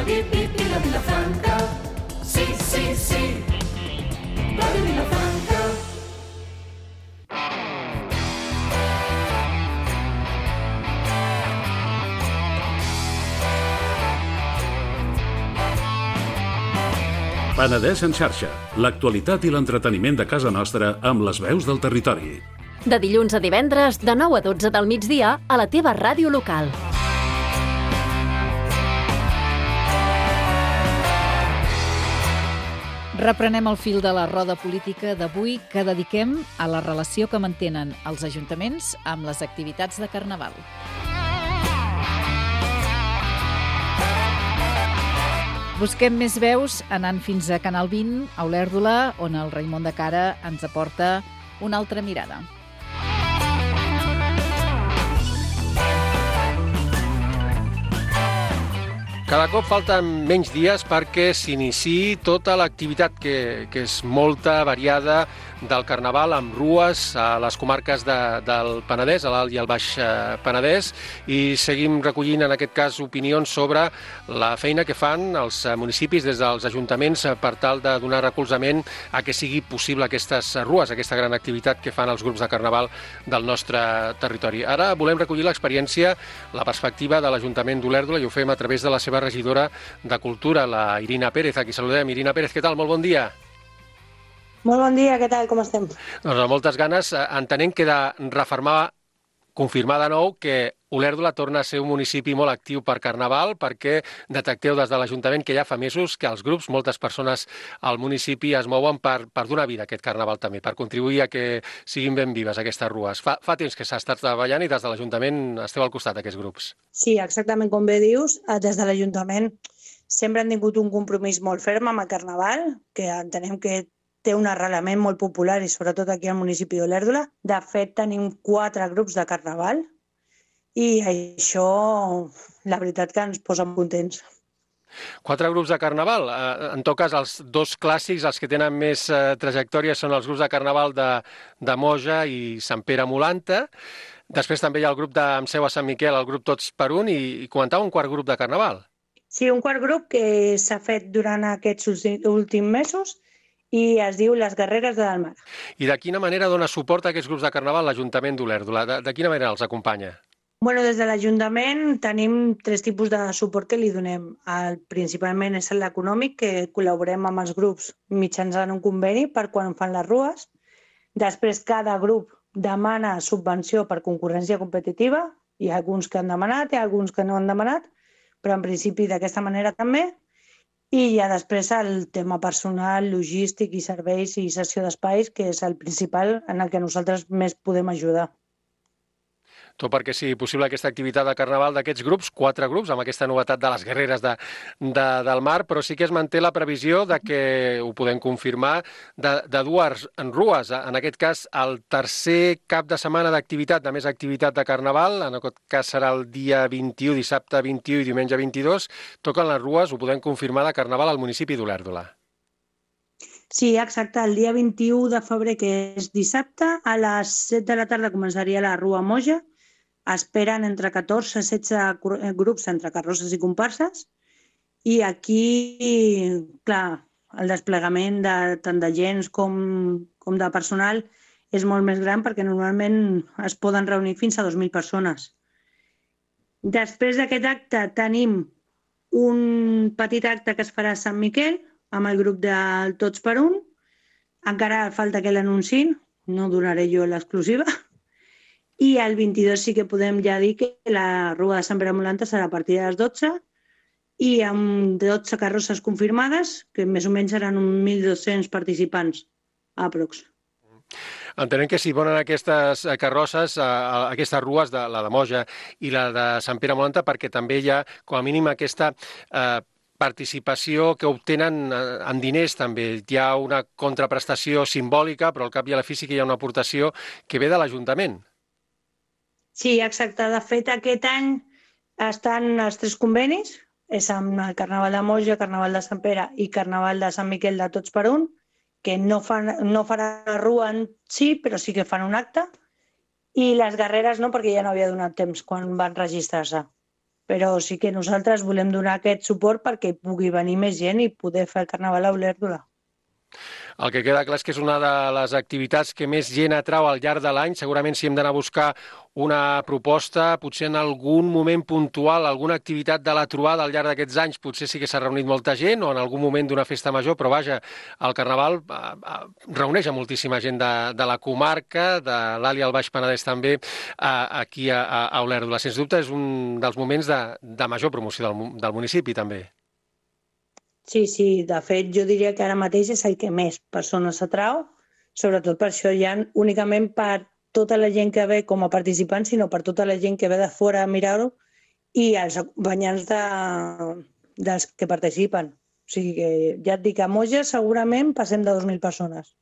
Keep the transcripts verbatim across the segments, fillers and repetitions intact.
Pi, pi, pi, la Vilafranca. Sí, sí, sí. Ràdio Vilafranca. Penedès en xarxa. L'actualitat i l'entreteniment de casa nostra amb les veus del territori. De dilluns a divendres, de nou a dotze del migdia, a la teva ràdio local. Reprenem el fil de la roda política d'avui que dediquem a la relació que mantenen els ajuntaments amb les activitats de Carnaval. Busquem més veus anant fins a Canal vint, a Olèrdola, on el Raimon de Cara ens aporta una altra mirada. Cada cop falten menys dies perquè s'iniciï tota l'activitat que, que és molta, variada, del Carnaval amb rues a les comarques de, del Penedès, a l'Alt i al Baix Penedès, i seguim recollint en aquest cas opinions sobre la feina que fan els municipis des dels ajuntaments per tal de donar recolzament a que sigui possible aquestes rues, aquesta gran activitat que fan els grups de Carnaval del nostre territori. Ara volem recollir l'experiència, la perspectiva de l'Ajuntament d'Olèrdola i ho fem a través de la seva regidora de Cultura, la Irina Pérez. Aquí saludem. Irina Pérez, què tal? Molt bon dia. Molt bon dia, què tal? Com estem? Doncs amb moltes ganes, entenent que de refermar, confirmar de nou que Olèrdola torna a ser un municipi molt actiu per Carnaval, perquè detecteu des de l'Ajuntament que ja fa mesos que els grups, moltes persones al municipi es mouen per, per donar vida a aquest Carnaval també, per contribuir a que siguin ben vives aquestes rues. Fa, fa temps que s'ha estat treballant i des de l'Ajuntament esteu al costat d'aquests grups. Sí, exactament com bé dius, des de l'Ajuntament sempre han tingut un compromís molt ferm amb el Carnaval, que entenem que té un arrelament molt popular i sobretot aquí al municipi d'Olèrdola. De fet, tenim quatre grups de Carnaval i això, la veritat que ens posa contents. Quatre grups de Carnaval. En tot cas, els dos clàssics, els que tenen més trajectòria, són els grups de Carnaval de, de Moja i Sant Pere Molanta. Després també hi ha el grup de amb seu a Sant Miquel, el grup Tots per un, i, i comentava un quart grup de Carnaval. Sí, un quart grup que s'ha fet durant aquests últims mesos i es diu Les Guerreres de Dalmar. I de quina manera dona suport a aquests grups de Carnaval l'Ajuntament d'Olèrdola? De, de quina manera els acompanya? Bueno, des de l'Ajuntament tenim tres tipus de suport que li donem. El, principalment és l'econòmic, que col·laborem amb els grups mitjançant un conveni per quan fan les rues. Després, cada grup demana subvenció per concurrència competitiva. Hi ha alguns que han demanat, hi ha alguns que no han demanat, però en principi d'aquesta manera també. I ja després el tema personal, logístic i serveis i cessió d'espais, que és el principal en el que nosaltres més podem ajudar. Tot perquè sigui possible aquesta activitat de Carnaval d'aquests grups, quatre grups, amb aquesta novetat de les Guerreres de, de, del Mar, però sí que es manté la previsió de que, ho podem confirmar, de, de dues en rues. En aquest cas, el tercer cap de setmana d'activitat, de més activitat de Carnaval, en aquest cas serà el dia vint-i-u, dissabte vint-i-u i diumenge vint-i-dos, toquen les rues, ho podem confirmar, de Carnaval al municipi d'Olèrdola. Sí, exacte. El dia vint-i-u de febrer, que és dissabte, a les set de la tarda començaria la Rua Moja. Esperen entre catorze i setze grups entre carrosses i comparses i aquí, clar, el desplegament de, tant de gens com, com de personal és molt més gran perquè normalment es poden reunir fins a dos mil persones. Després d'aquest acte tenim un petit acte que es farà a Sant Miquel amb el grup del Tots per un. Encara falta que l'anunciïn, no donaré jo l'exclusiva. I el vint-i-dos sí que podem ja dir que la Rua de Sant Pere Molanta serà a partir de les dotze i amb dotze carrosses confirmades, que més o menys seran mil dos-cents participants, aprox. Entenem que si ponen aquestes carrosses, aquestes rues, de la de Moja i la de Sant Pere Molanta, perquè també hi ha, com a mínim, aquesta eh, participació que obtenen en diners també. Hi ha una contraprestació simbòlica, però al cap i a la fi sí que hi ha una aportació que ve de l'Ajuntament. Sí, exacte. De fet, aquest any estan els tres convenis, és amb el Carnaval de Moja, Carnaval de Sant Pere i Carnaval de Sant Miquel de Tots per un, que no, fan, no faran la rua en si, però sí que fan un acte, i les Guerreres no, perquè ja no havia donat temps quan van registrar-se. però sí que nosaltres volem donar aquest suport perquè pugui venir més gent i poder fer el carnaval a Olèrdola. El que queda clar és que és una de les activitats que més gent atrau al llarg de l'any. Segurament si hem d'anar a buscar una proposta, potser en algun moment puntual, alguna activitat de la trobada al llarg d'aquests anys, potser sí que s'ha reunit molta gent o en algun moment d'una festa major, però vaja, el Carnaval eh, eh, reuneix a moltíssima gent de, de la comarca, de l'Alt i el Baix Penedès també, eh, aquí a, a Olèrdola. Sens dubte és un dels moments de, de major promoció del, del municipi també. Sí, sí, de fet jo diria que ara mateix és el que més persones atrau, sobretot per això ja únicament per tota la gent que ve com a participant, sinó per tota la gent que ve de fora a mirar-ho i els acompanyants de, dels que participen. O sigui que ja et dic, a Moja segurament passem de dues mil persones.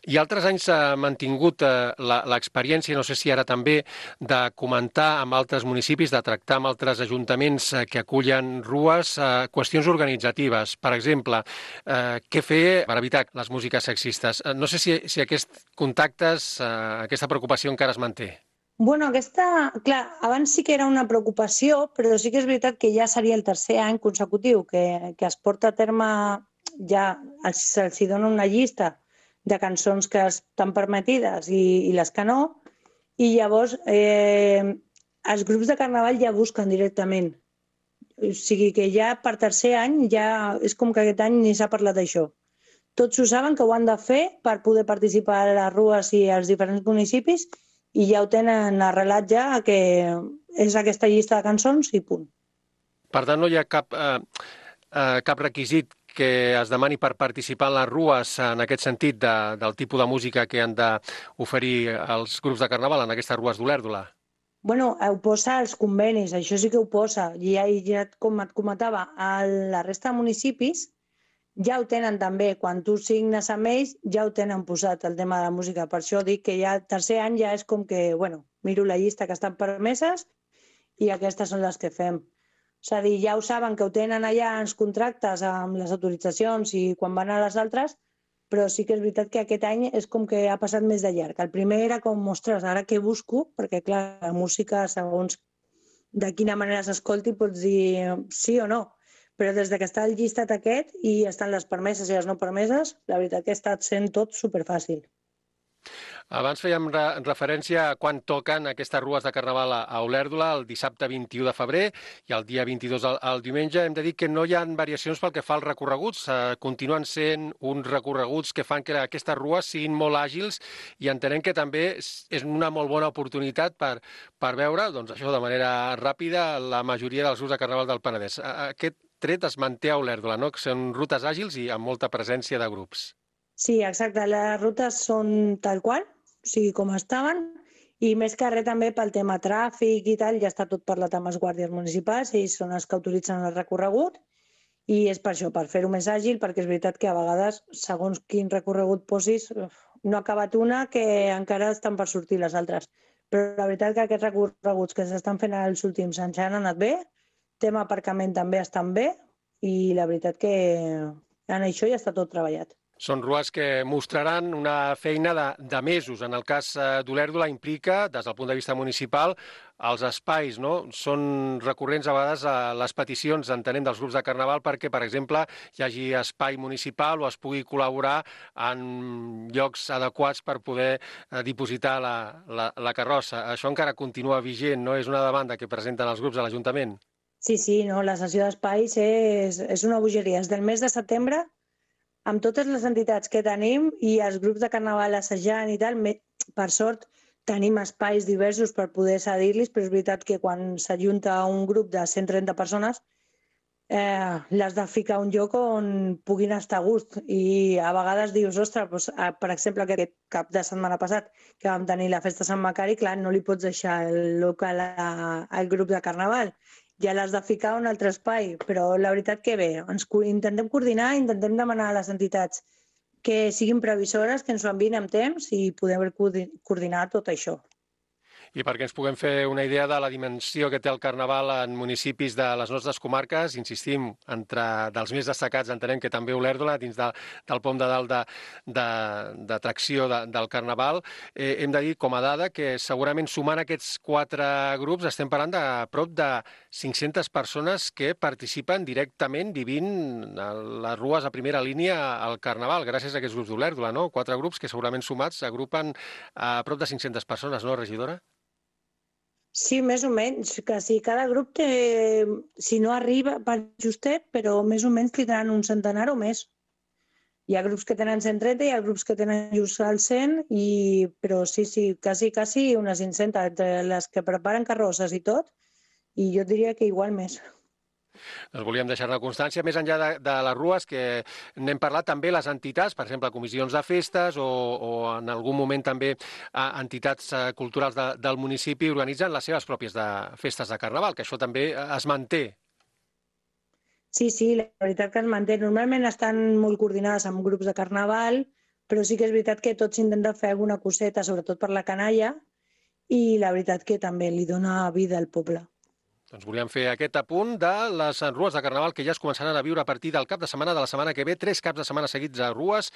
I altres anys s'ha mantingut eh, l'experiència, no sé si ara també, de comentar amb altres municipis, de tractar amb altres ajuntaments eh, que acullen rues, eh, qüestions organitzatives. Per exemple, eh, què fer per evitar les músiques sexistes? Eh, no sé si, si aquests contactes, eh, aquesta preocupació encara es manté. Bueno, aquesta, clar, abans sí que era una preocupació, però sí que és veritat que ja seria el tercer any consecutiu que, que es porta a terme, ja se'ls dona una llista de cançons que estan permetides i, i les que no, i llavors eh, els grups de carnaval ja busquen directament. O sigui que ja per tercer any ja és com que aquest any ni s'ha parlat d'això. Tots ho saben que ho han de fer per poder participar a les rues i als diferents municipis i ja ho tenen arrelat ja que és aquesta llista de cançons i punt. Per tant, no hi ha cap, eh, eh, cap requisit que es demani per participar en les rues en aquest sentit de, del tipus de música que han d'oferir els grups de carnaval en aquestes rues d'Olèrdola? Bueno, ho posa als convenis, això sí que ho posa. I ja, ja com et comentava, a la resta de municipis ja ho tenen també. Quan tu signes amb ells ja ho tenen posat, el tema de la música. Per això dic que ja el tercer any ja és com que, bueno, miro la llista que estan permeses i aquestes són les que fem. És a dir, ja ho saben que ho tenen allà en els contractes amb les autoritzacions i quan van a les altres, però sí que és veritat que aquest any és com que ha passat més de llarg. El primer era com, ostres, ara què busco? Perquè, clar, la música, segons de quina manera s'escolti, pots dir sí o no. Però des que està el llistat aquest i estan les permeses i les no permeses, la veritat que ha estat sent tot superfàcil. Abans fèiem re referència a quan toquen aquestes rues de carnaval a Olèrdola, el dissabte vint-i-u de febrer i el dia vint-i-dos al, al diumenge. Hem de dir que no hi ha variacions pel que fa als recorreguts. Eh, continuen sent uns recorreguts que fan que aquestes rues siguin molt àgils i entenem que també és una molt bona oportunitat per, per veure, doncs això de manera ràpida, la majoria dels grups de carnaval del Penedès. Aquest tret es manté a Olèrdola, no? Que són rutes àgils i amb molta presència de grups. Sí, exacte. Les rutes són tal qual, o sigui, com estaven, i més que res també pel tema tràfic i tal, ja està tot parlat amb els guàrdies municipals, ells són els que autoritzen el recorregut, i és per això, per fer-ho més àgil, perquè és veritat que a vegades, segons quin recorregut posis, no ha acabat una que encara estan per sortir les altres. Però la veritat que aquests recorreguts que s'estan fent els últims anys han anat bé, tema aparcament també estan bé, i la veritat que en això ja està tot treballat. Són rues que mostraran una feina de, de mesos. En el cas d'Olèrdola implica, des del punt de vista municipal, els espais, no? Són recurrents a vegades a les peticions, entenem, dels grups de carnaval perquè, per exemple, hi hagi espai municipal o es pugui col·laborar en llocs adequats per poder dipositar la, la, la carrossa. Això encara continua vigent, no? És una demanda que presenten els grups a l'Ajuntament. Sí, sí, no, la cessió d'espais és, és una bogeria. Des del mes de setembre, amb totes les entitats que tenim i els grups de carnaval assajant i tal, per sort tenim espais diversos per poder cedir-los, però és veritat que quan s'ajunta un grup de cent trenta persones eh, l'has de ficar a un lloc on puguin estar a gust i a vegades dius, ostres, doncs, per exemple, aquest cap de setmana passat que vam tenir la festa Sant Macari, clar, no li pots deixar el local a, al grup de carnaval, ja l'has de ficar a un altre espai, però la veritat que bé, ens intentem coordinar, intentem demanar a les entitats que siguin previsores, que ens ho enviïn amb temps i podem coordinar tot això. I perquè ens puguem fer una idea de la dimensió que té el Carnaval en municipis de les nostres comarques, insistim, entre dels més destacats entenem que també Olèrdola, dins de, del pom de dalt d'atracció de, de, de, del Carnaval, eh, hem de dir com a dada que segurament sumant aquests quatre grups estem parlant de prop de cinc-centes persones que participen directament vivint a les rues a primera línia al Carnaval, gràcies a aquests grups d'Olèrdola, no? Quatre grups que segurament sumats agrupen a prop de cinc-centes persones, no, regidora? Sí, més o menys, que si cada grup té, si no arriba per justet, però més o menys tindran un centenar o més. Hi ha grups que tenen cent trenta, hi ha grups que tenen just al cent, i, però sí, sí, quasi, quasi unes cinc-centes, entre les que preparen carrosses i tot, i jo diria que igual més. Doncs volíem deixar-ne constància. Més enllà de, de les rues, que n'hem parlat també les entitats, per exemple, comissions de festes o, o en algun moment també entitats culturals de, del municipi organitzen les seves pròpies de festes de Carnaval, que això també es manté. Sí, sí, la veritat que es manté. Normalment estan molt coordinades amb grups de Carnaval, però sí que és veritat que tots intenten fer alguna coseta, sobretot per la canalla, i la veritat que també li dona vida al poble. Doncs volíem fer aquest apunt de les rues de Carnaval que ja es començaran a viure a partir del cap de setmana de la setmana que ve, tres caps de setmana seguits a rues,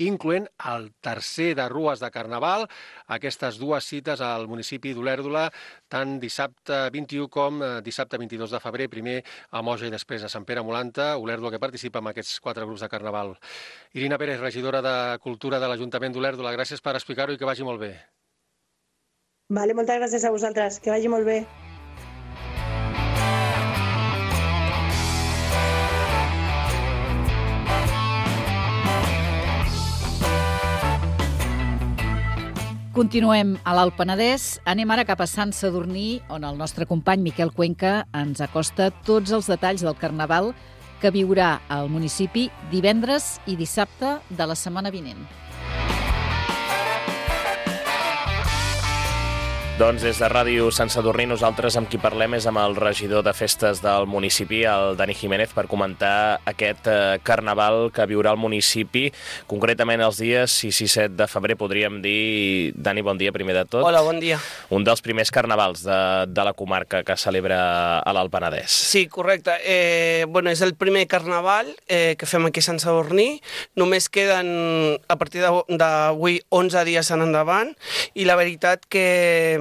incloent el tercer de rues de Carnaval, aquestes dues cites al municipi d'Olèrdola, tant dissabte vint-i-u com dissabte vint-i-dos de febrer, primer a Moja i després a Sant Pere Molanta, Olèrdola que participa en aquests quatre grups de Carnaval. Irina Pérez, regidora de Cultura de l'Ajuntament d'Olèrdola, gràcies per explicar-ho i que vagi molt bé. Vale, moltes gràcies a vosaltres, que vagi molt bé. Continuem a l'Alt Penedès. Anem ara cap a Sant Sadurní, on el nostre company Miquel Cuenca ens acosta tots els detalls del Carnaval que viurà al municipi divendres i dissabte de la setmana vinent. Doncs des de Ràdio Sant Sadurní nosaltres amb qui parlem és amb el regidor de festes del municipi, el Dani Jiménez, per comentar aquest eh, carnaval que viurà el municipi, concretament els dies sis i set de febrer, podríem dir. Dani, bon dia primer de tot. Hola, bon dia. Un dels primers carnavals de, de la comarca que celebra a l'Alt Penedès. Sí, correcte. Eh, bueno, és el primer carnaval eh, que fem aquí a Sant Sadurní. Només queden a partir d'avui onze dies en endavant i la veritat que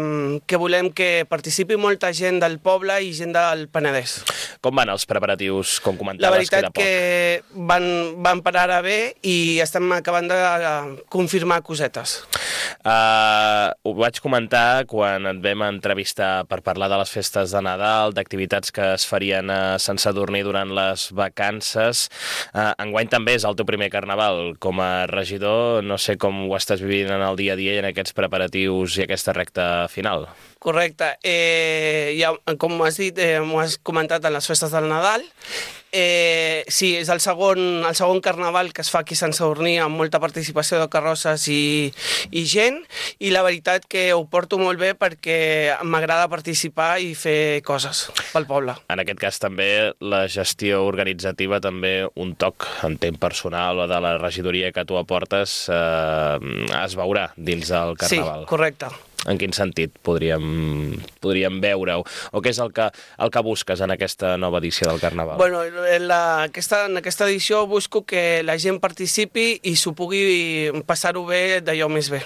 que volem que participi molta gent del poble i gent del Penedès. Com van els preparatius, com comentaves? La veritat que van, van per ara bé i estem acabant de confirmar cosetes. Uh, ho vaig comentar quan et vam entrevistar per parlar de les festes de Nadal, d'activitats que es farien a Sant Sadurní durant les vacances. Uh, enguany també és el teu primer carnaval com a regidor. No sé com ho estàs vivint en el dia a dia i en aquests preparatius i aquesta recta final. Correcte. Eh, ja, com has dit, eh, m'ho has comentat en les festes del Nadal. Eh, sí, és el segon, el segon carnaval que es fa aquí a Sant Sadurní amb molta participació de carrosses i, i gent, i la veritat que ho porto molt bé perquè m'agrada participar i fer coses pel poble. En aquest cas també la gestió organitzativa, també un toc en temps personal o de la regidoria que tu aportes eh, es veurà dins del carnaval. Sí, correcte. En quin sentit podríem, podríem veure-ho? O què és el que, el que busques en aquesta nova edició del Carnaval? Bueno, en, la, aquesta, en aquesta edició busco que la gent participi i s'ho pugui passar-ho bé d'allò més bé.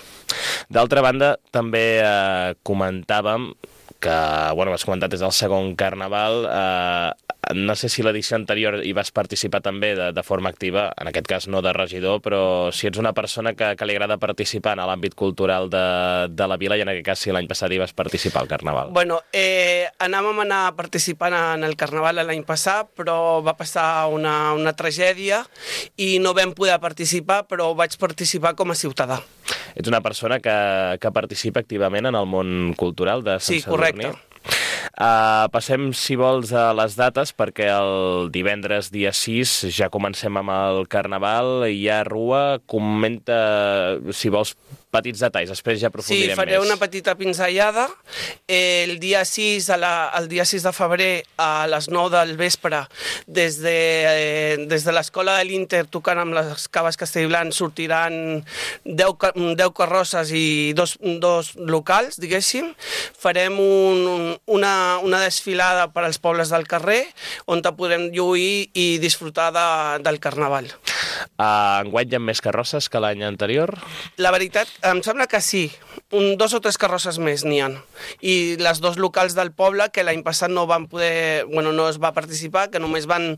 D'altra banda, també eh, comentàvem que, bueno, has comentat, és el segon Carnaval. Eh, no sé si l'edició anterior hi vas participar també de, de forma activa, en aquest cas no de regidor, però si ets una persona que, que li agrada participar en l'àmbit cultural de, de la vila, i en aquest cas si l'any passat hi vas participar al Carnaval. Bueno, eh, anàvem a anar participant en el Carnaval l'any passat, però va passar una, una tragèdia i no vam poder participar, però vaig participar com a ciutadà. Ets una persona que, que participa activament en el món cultural de Sant Sí, Sadurní? correcte. Uh, passem, si vols, a les dates, perquè el divendres dia sis ja comencem amb el Carnaval, hi ha rua. Comenta, si vols, petits detalls, després ja aprofundirem més. Sí, faré més. una petita pinzellada. El dia sis, a la, el dia sis de febrer, a les nou del vespre, des de, eh, des de l'escola de l'Inter, tocant amb les Caves Castellblanc, sortiran deu, deu carrosses i dos, dos locals, diguéssim. Farem un, una, una desfilada per als pobles del carrer, on podrem lluir i disfrutar de, del Carnaval. Uh, enguany hi ha més carrosses que l'any anterior? La veritat, em sembla que sí. Un, dos o tres carrosses més n'hi ha. I les dos locals del poble, que l'any passat no van poder, bueno, no es va participar, que només van,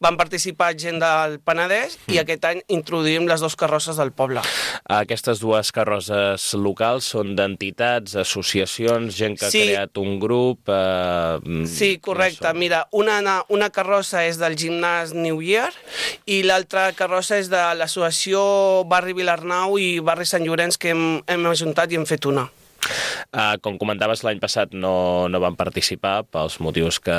van participar gent del Penedès, mm. i aquest any introduïm les dues carrosses del poble. Aquestes dues carrosses locals són d'entitats, associacions, gent que sí. ha creat un grup... Uh, sí, correcte. No Mira, una, una carrossa és del gimnàs New Year i l'altra carrossa és de l'associació Barri Vilarnau i Barri Sant Llorenç, que hem, hem ajuntat i hem fet una. Uh, com comentaves, l'any passat no, no van participar pels motius que,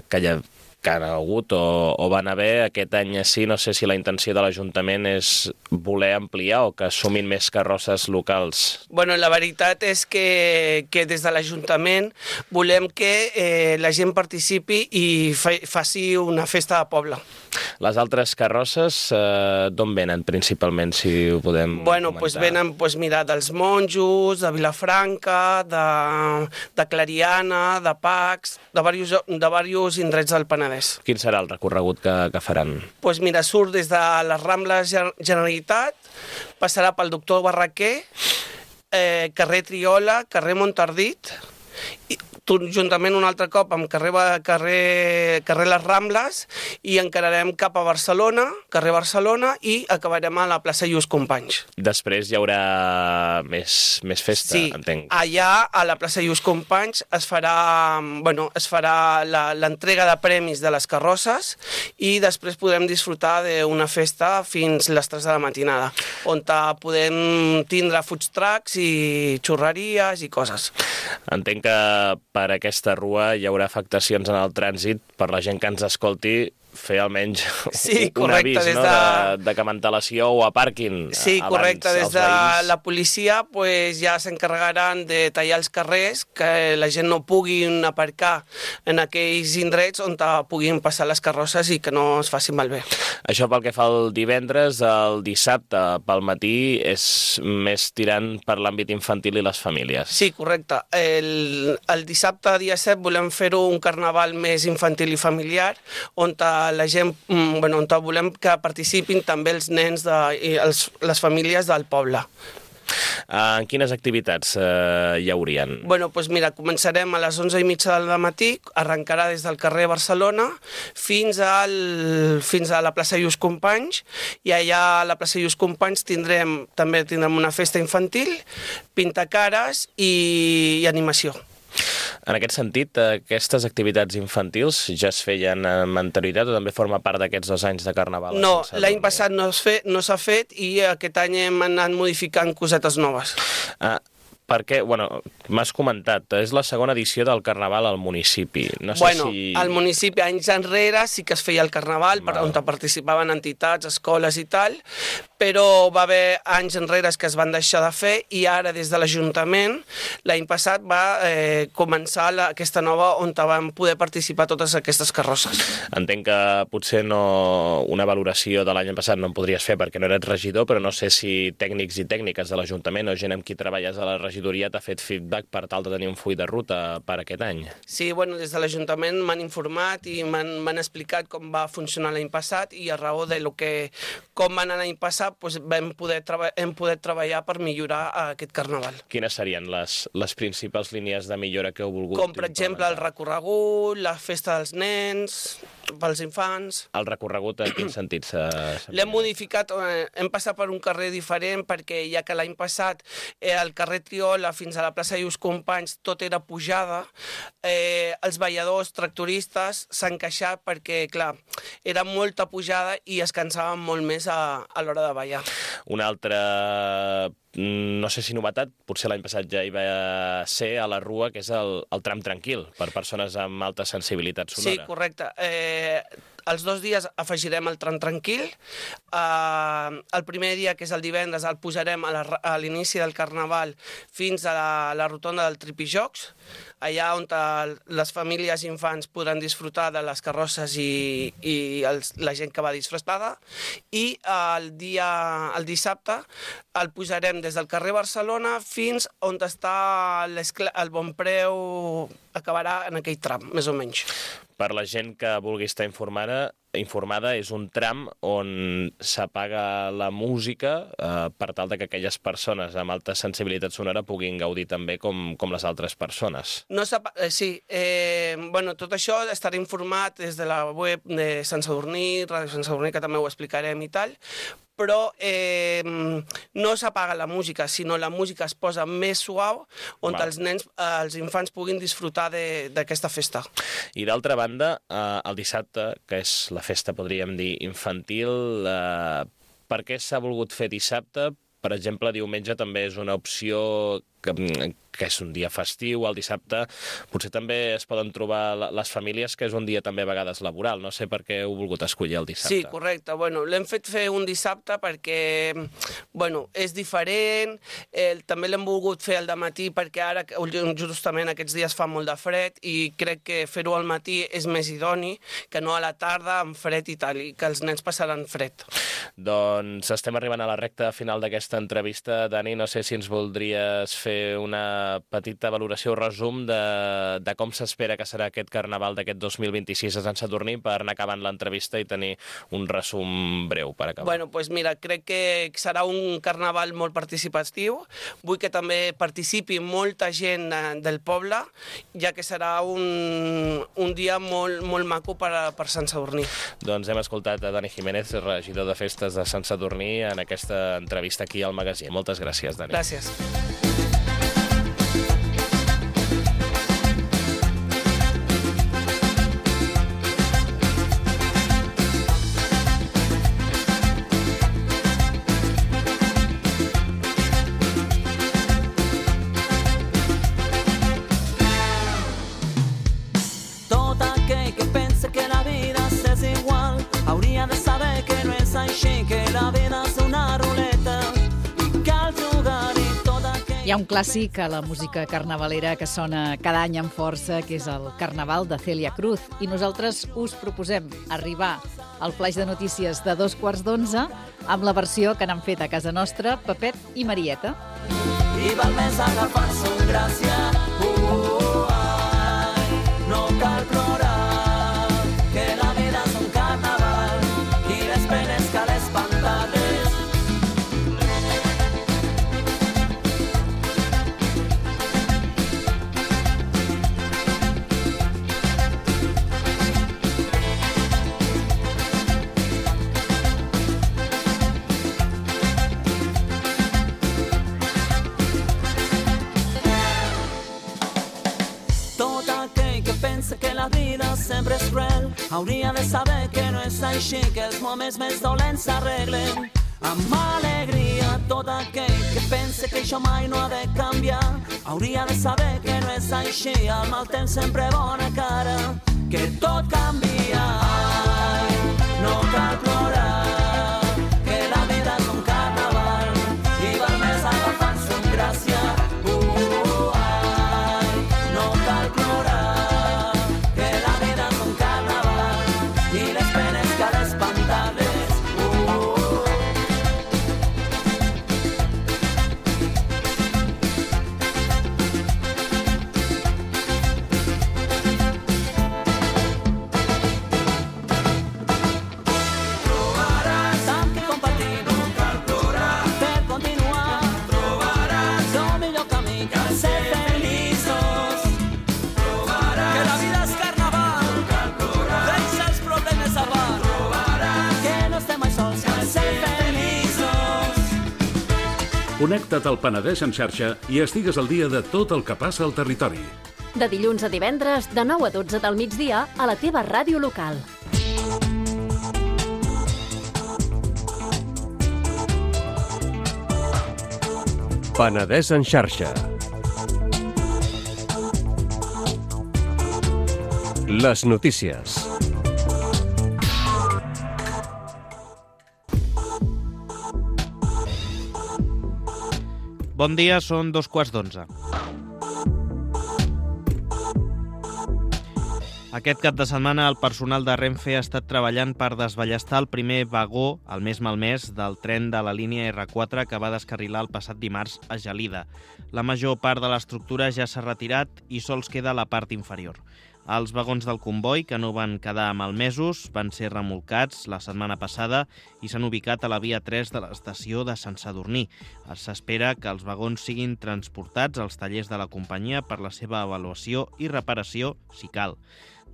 que hi ha que han hagut o, o van haver. Aquest any sí, no sé si la intenció de l'Ajuntament és voler ampliar o que assumin més carrosses locals. Bueno, la veritat és que, que des de l'Ajuntament volem que eh, la gent participi i fa, faci una festa de poble. Les altres carrosses eh, d'on venen principalment, si ho podem bueno, comentar? Pues venen pues, mira, dels monjos, de Vilafranca, de, de Clariana, de Pacs, de diversos, de diversos indrets del Penedès. Quin serà el recorregut que, que faran? Pues mira, surt des de les Rambles Generalitat, passarà pel Doctor Barraquer, eh, carrer Triola, carrer Montardit, i juntament un altre cop amb carrer, carrer, carrer Les Rambles, i encararem cap a Barcelona, carrer Barcelona, i acabarem a la plaça Lluís Companys. Després hi haurà més, més festa, sí, entenc. Allà, a la plaça Lluís Companys, es farà, bueno, es farà l'entrega de premis de les carrosses i després podrem disfrutar d'una festa fins les tres de la matinada, on podem tindre food trucks i xurreries i coses. Entenc que per aquesta rua hi haurà afectacions en el trànsit per la gent que ens escolti, fer almenys sí, un avís, des no? de... de, de que mantelació o aparquin sí, abans correcte, des de veïns. La policia pues, ja s'encarregaran de tallar els carrers, que la gent no puguin aparcar en aquells indrets on puguin passar les carrosses i que no es facin malbé. Això pel que fa al divendres, el dissabte pel matí és més tirant per l'àmbit infantil i les famílies. Sí, correcte. El, el dissabte, dia set, volem fer-ho un carnaval més infantil i familiar, on la gent, bueno, on volem que participin també els nens de, i els, les famílies del poble. En uh, quines activitats uh, hi haurien? Bueno, doncs mira, començarem a les onze i mitja del matí, arrencarà des del carrer Barcelona fins, al, fins a la plaça Lluís Companys, i allà a la plaça Lluís Companys tindrem, també tindrem una festa infantil, pintacares i, i animació. En aquest sentit, aquestes activitats infantils ja es feien amb anterioritat o també forma part d'aquests dos anys de Carnaval? No, l'any passat no s'ha fet i aquest any hem anat modificant cosetes noves. Ah, perquè, bueno, m'has comentat, és la segona edició del Carnaval al municipi. No sé bueno, si... al municipi, anys enrere, sí que es feia el Carnaval, per on participaven entitats, escoles i tal, però va haver anys enrere que es van deixar de fer i ara des de l'Ajuntament l'any passat va eh, començar la, aquesta nova on van poder participar totes aquestes carrosses. Entenc que potser no, una valoració de l'any passat no en podries fer perquè no eres regidor, però no sé si tècnics i tècniques de l'Ajuntament o gent amb qui treballes a la regidoria t'ha fet feedback per tal de tenir un full de ruta per aquest any. Sí, bueno, des de l'Ajuntament m'han informat i m'han explicat com va funcionar l'any passat i a raó de lo que, com va anar l'any passat doncs vam poder hem poder treballar per millorar aquest Carnaval. Quines serien les, les principals línies de millora que heu volgut? Com, per exemple, el recorregut, la festa dels nens, pels infants... El recorregut en quin sentit s'ha... L'hem modificat, eh, hem passat per un carrer diferent perquè ja que l'any passat eh, el carrer Triola fins a la plaça Lluís Companys tot era pujada, eh, els balladors, tractoristes s'han queixat perquè, clar, era molta pujada i es cansaven molt més a, a l'hora de ballar. Una altra, no sé si novetat, potser l'any passat ja hi va ser a la Rua, que és el, el tram tranquil, per persones amb alta sensibilitat sonora. Sí, correcte. Eh, els dos dies afegirem el tram tranquil. Uh, el primer dia, que és el divendres, el posarem a, la, a l'inici del Carnaval fins a la, la rotonda del Tripijocs, allà on les famílies i infants podran disfrutar de les carrosses i, i els, la gent que va disfressada. I el, dia, el dissabte el posarem des del carrer Barcelona fins on està el Bonpreu, acabarà en aquell tram, més o menys. Per la gent que vulgui estar informada, informada és un tram on s'apaga la música eh, per tal de que aquelles persones amb alta sensibilitat sonora puguin gaudir també com, com les altres persones. No eh, sí, eh, bueno, tot això estarà informat des de la web de Sant Sadurní, Ràdio Sant Sadurní, que també ho explicarem i tal, però eh, no s'apaga la música, sinó la música es posa més suau on Val. els nens, eh, els infants puguin disfrutar d'aquesta festa. I d'altra banda, eh, el dissabte, que és la festa, podríem dir, infantil, eh, per què s'ha volgut fer dissabte? Per exemple, diumenge també és una opció que, que és un dia festiu, el dissabte potser també es poden trobar les famílies, que és un dia també a vegades laboral. No sé per què heu volgut escollir el dissabte. Sí, correcte. Bueno, l'hem fet fer un dissabte perquè bueno, és diferent, eh, també l'hem volgut fer al dematí perquè ara justament aquests dies fa molt de fred i crec que fer-ho al matí és més idoni que no a la tarda amb fred i tal, i que els nens passaran fred. Doncs estem arribant a la recta final d'aquesta entrevista. Dani, no sé si ens voldries fer una petita valoració o resum de, de com s'espera que serà aquest Carnaval d'aquest dos mil vint-i-sis a Sant Sadurní per anar acabant l'entrevista i tenir un resum breu per acabar. Bueno, pues mira, crec que serà un Carnaval molt participatiu. Vull que també participi molta gent del poble, ja que serà un, un dia molt, molt maco per, per Sant Sadurní. Doncs hem escoltat a Dani Jiménez, regidor de Festes de Sant Sadurní, en aquesta entrevista aquí al magazín. Moltes gràcies, Dani. Gràcies. Hi ha un clàssic a la música carnavalera que sona cada any amb força, que és el Carnaval de Celia Cruz. I nosaltres us proposem arribar al flaix de notícies de dos quarts d'onze amb la versió que n'han fet a casa nostra Pepet i Marieta. I val més agafar-se un gràcia, uh, ai, no cal plorar, que la vida és un carnaval i les penes cal espantar-les. Que la vida sempre és cruel, hauria de saber que no és així, que els moments més dolents s'arreglen amb alegria. Tot aquell que pense que això mai no ha de canviar, hauria de saber que no és així, al mal temps sempre bona cara, que tot canvia. Ai, no cal plorar, que la vida és un carnaval i val més agafar-se amb gràcia. Connecta't al Penedès en xarxa i estigues al dia de tot el que passa al territori. De dilluns a divendres, de nou a dotze del migdia, a la teva ràdio local. Penedès en xarxa. Les notícies. Bon dia, són dos quarts d'onze. Aquest cap de setmana el personal de Renfe ha estat treballant per desballestar el primer vagó, el més malmès, del tren de la línia erre quatre que va descarrilar el passat dimarts a Gelida. La major part de l'estructura ja s'ha retirat i sols queda la part inferior. Els vagons del comboi, que no van quedar malmesos, van ser remolcats la setmana passada i s'han ubicat a la via tres de l'estació de Sant Sadurní. S'espera que els vagons siguin transportats als tallers de la companyia per la seva avaluació i reparació, si cal.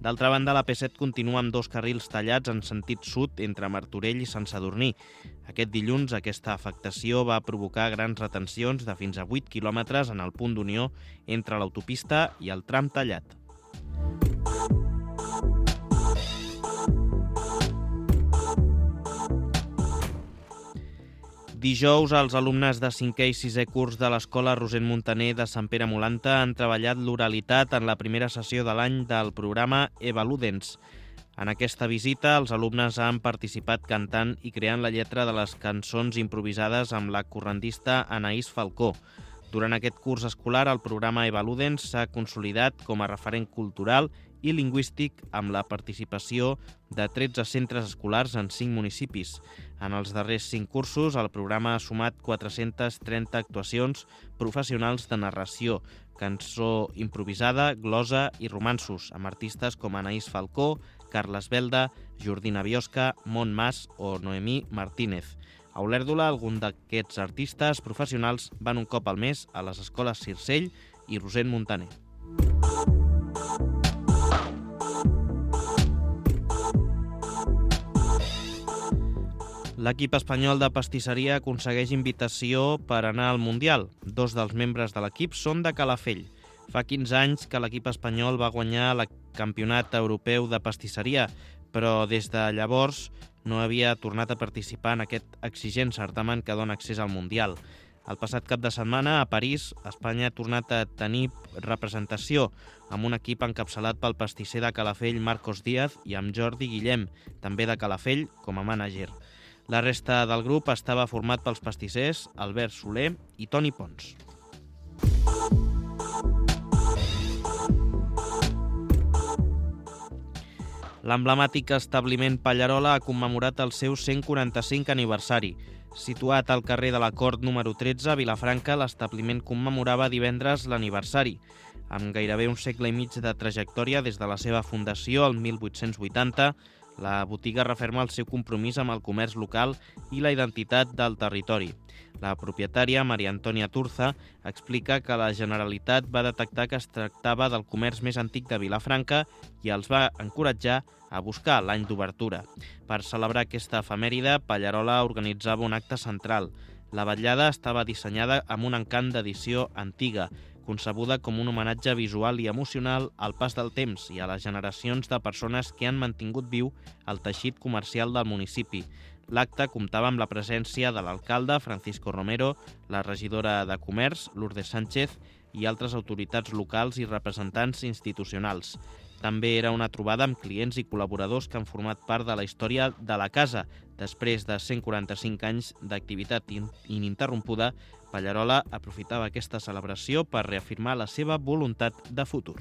D'altra banda, la P set continua amb dos carrils tallats en sentit sud entre Martorell i Sant Sadurní. Aquest dilluns, aquesta afectació va provocar grans retencions de fins a vuit quilòmetres en el punt d'unió entre l'autopista i el tram tallat. Dijous, els alumnes de cinquè i sisè curs de l'Escola Rosent Muntaner de Sant Pere Molanta han treballat l'oralitat en la primera sessió de l'any del programa Evaludens. En aquesta visita, els alumnes han participat cantant i creant la lletra de les cançons improvisades amb la correntista Anaïs Falcó. Durant aquest curs escolar, el programa Evaludens s'ha consolidat com a referent cultural i lingüístic amb la participació de tretze centres escolars en cinc municipis. En els darrers cinc cursos, el programa ha sumat quatre-centes trenta actuacions professionals de narració, cançó improvisada, glosa i romanços, amb artistes com Anaïs Falcó, Carles Belda, Jordina Biosca, Mont Mas o Noemí Martínez. A Olèrdola, algun d'aquests artistes professionals van un cop al mes a les escoles Circell i Rosent Muntaner. L'equip espanyol de pastisseria aconsegueix invitació per anar al Mundial. Dos dels membres de l'equip són de Calafell. Fa quinze anys que l'equip espanyol va guanyar el Campionat Europeu de Pastisseria, però des de llavors no havia tornat a participar en aquest exigent certamen que dona accés al Mundial. El passat cap de setmana, a París, Espanya ha tornat a tenir representació amb un equip encapçalat pel pastisser de Calafell Marcos Díaz i amb Jordi Guillem, també de Calafell, com a mànager. La resta del grup estava format pels pastissers Albert Soler i Toni Pons. L'emblemàtic establiment Pallarola ha commemorat el seu cent quaranta-cinc aniversari. Situat al carrer de la Cort número tretze, a Vilafranca, l'establiment commemorava divendres l'aniversari. Amb gairebé un segle i mig de trajectòria des de la seva fundació, el mil vuit-cents vuitanta, la botiga referma el seu compromís amb el comerç local i la identitat del territori. La propietària, Maria Antònia Turza, explica que la Generalitat va detectar que es tractava del comerç més antic de Vilafranca i els va encoratjar a buscar l'any d'obertura. Per celebrar aquesta efemèride, Pallarola organitzava un acte central. La vetllada estava dissenyada amb un encant d'edició antiga, concebuda com un homenatge visual i emocional al pas del temps i a les generacions de persones que han mantingut viu el teixit comercial del municipi. L'acte comptava amb la presència de l'alcalde, Francisco Romero, la regidora de Comerç, Lourdes Sánchez, i altres autoritats locals i representants institucionals. També era una trobada amb clients i col·laboradors que han format part de la història de la casa. Després de cent quaranta-cinc anys d'activitat ininterrompuda, Pallarola aprofitava aquesta celebració per reafirmar la seva voluntat de futur.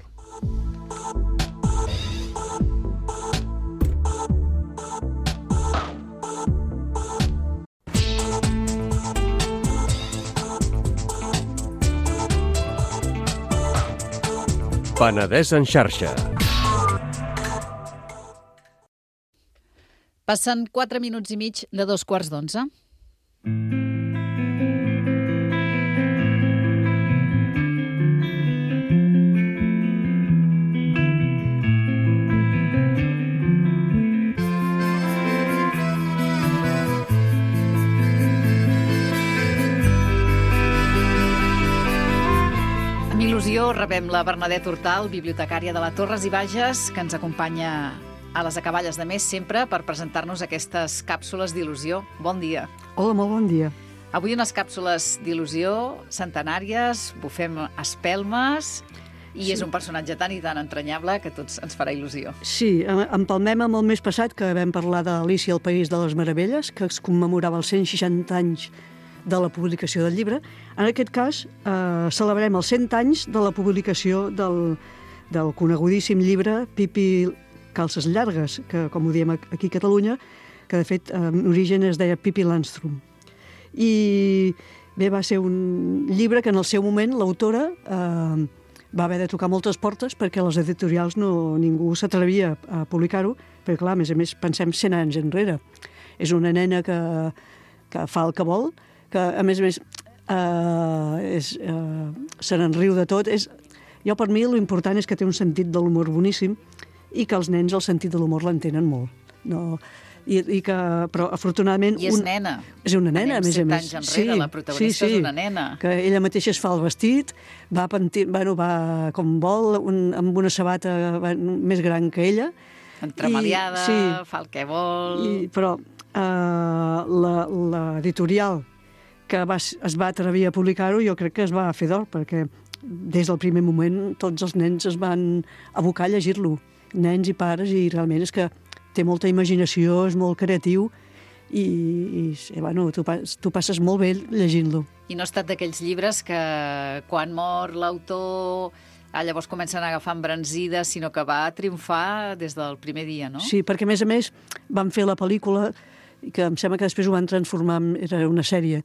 Penedès en xarxa. Passen quatre minuts i mig de dos quarts d'onze. Amb il·lusió rebem la Bernadette Hortal, bibliotecària de la Torres i Bages, que ens acompanya a les acaballes de mes sempre per presentar-nos aquestes càpsules d'il·lusió. Bon dia. Hola, molt bon dia. Avui unes càpsules d'il·lusió centenàries, bufem espelmes i sí. És un personatge tan i tan entranyable que a tots ens farà il·lusió. Sí, empalmem amb el mes passat que vam parlar d'Alícia al País de les Meravelles, que es commemorava els cent seixanta anys de la publicació del llibre. En aquest cas, eh, celebrem els cent anys de la publicació del, del conegudíssim llibre Pipi Calces Llargues, que, com ho diem aquí a Catalunya, que de fet en origen es deia Pipi Landstrum. I bé, va ser un llibre que en el seu moment l'autora eh, va haver de tocar moltes portes perquè les editorials no, ningú s'atrevia a publicar-ho, perquè clar, a més a més pensem cent anys enrere. És una nena que, que fa el que vol, que a més a més eh, és, eh, se n'enriu de tot. És, jo per mi l'important és que té un sentit de l'humor boníssim i que els nens el sentit de l'humor l'entenen molt. No, i, i que, però afortunadament... I és un, nena. És una nena, a més a més. Anys enrere, sí, la protagonista sí, sí, és una nena. Que ella mateixa es fa el vestit, va, pentir, bueno, va com vol, un, amb una sabata va, més gran que ella. Entremaliada, sí, fa el que vol... I, però eh, l'editorial que va, es va atrevir a publicar-ho jo crec que es va fer d'or, perquè des del primer moment tots els nens es van abocar a llegir-lo, nens i pares, i realment és que té molta imaginació, és molt creatiu i, i, i bueno, tu, tu passes molt bé llegint-lo. I no ha estat d'aquells llibres que quan mor l'autor ah, llavors comencen a agafar embranzida, sinó que va triomfar des del primer dia, no? Sí, perquè a més a més van fer la pel·lícula que em sembla que després ho van transformar en era una sèrie.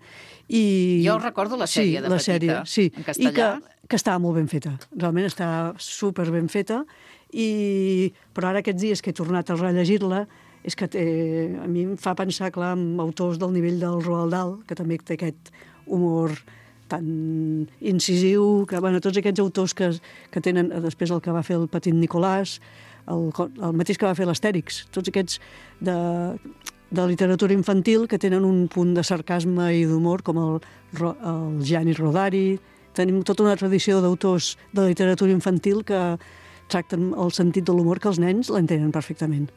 I... Jo recordo la sèrie sí, de la petita, sèrie, sí. en castellà. I que, que estava molt ben feta, realment estava super ben feta, i... però ara aquests dies que he tornat a rellegir-la, és que té... a mi em fa pensar, clar, en autors del nivell del Roald Dahl, que també té aquest humor tan incisiu, que, bueno, tots aquests autors que, que tenen, després el que va fer el Petit Nicolàs, el, el mateix que va fer l'Astèrix, tots aquests de... de literatura infantil que tenen un punt de sarcasme i d'humor, com el, el Gianni Rodari. Tenim tota una tradició d'autors de literatura infantil que tracten el sentit de l'humor que els nens l'entenen perfectament.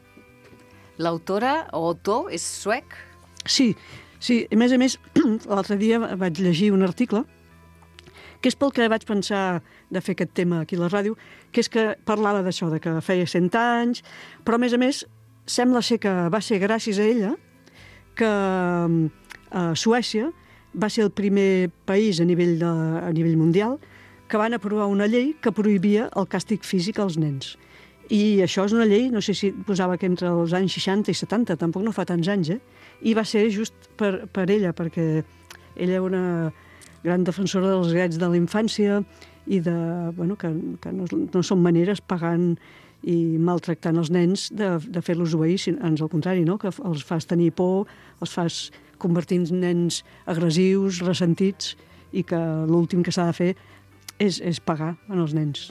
L'autora o autor és suec? Sí, sí. A més a més, l'altre dia vaig llegir un article que és pel que vaig pensar de fer aquest tema aquí a la ràdio, que és que parlava d'això, de que feia cent anys, però a més a més sembla ser que va ser gràcies a ella que eh, Suècia va ser el primer país a nivell, de, a nivell mundial que van aprovar una llei que prohibia el càstig físic als nens. I això és una llei, no sé si posava que entre els anys seixanta i setanta, tampoc no fa tants anys, eh? I va ser just per, per ella, perquè ella era una gran defensora dels drets de la infància i de, bueno, que, que no, no són maneres pagant i maltractant els nens de, de fer-los obeir, ans al contrari, no? Que els fas tenir por, els fas convertir en nens agressius, ressentits, i que l'últim que s'ha de fer és, és pagar en els nens.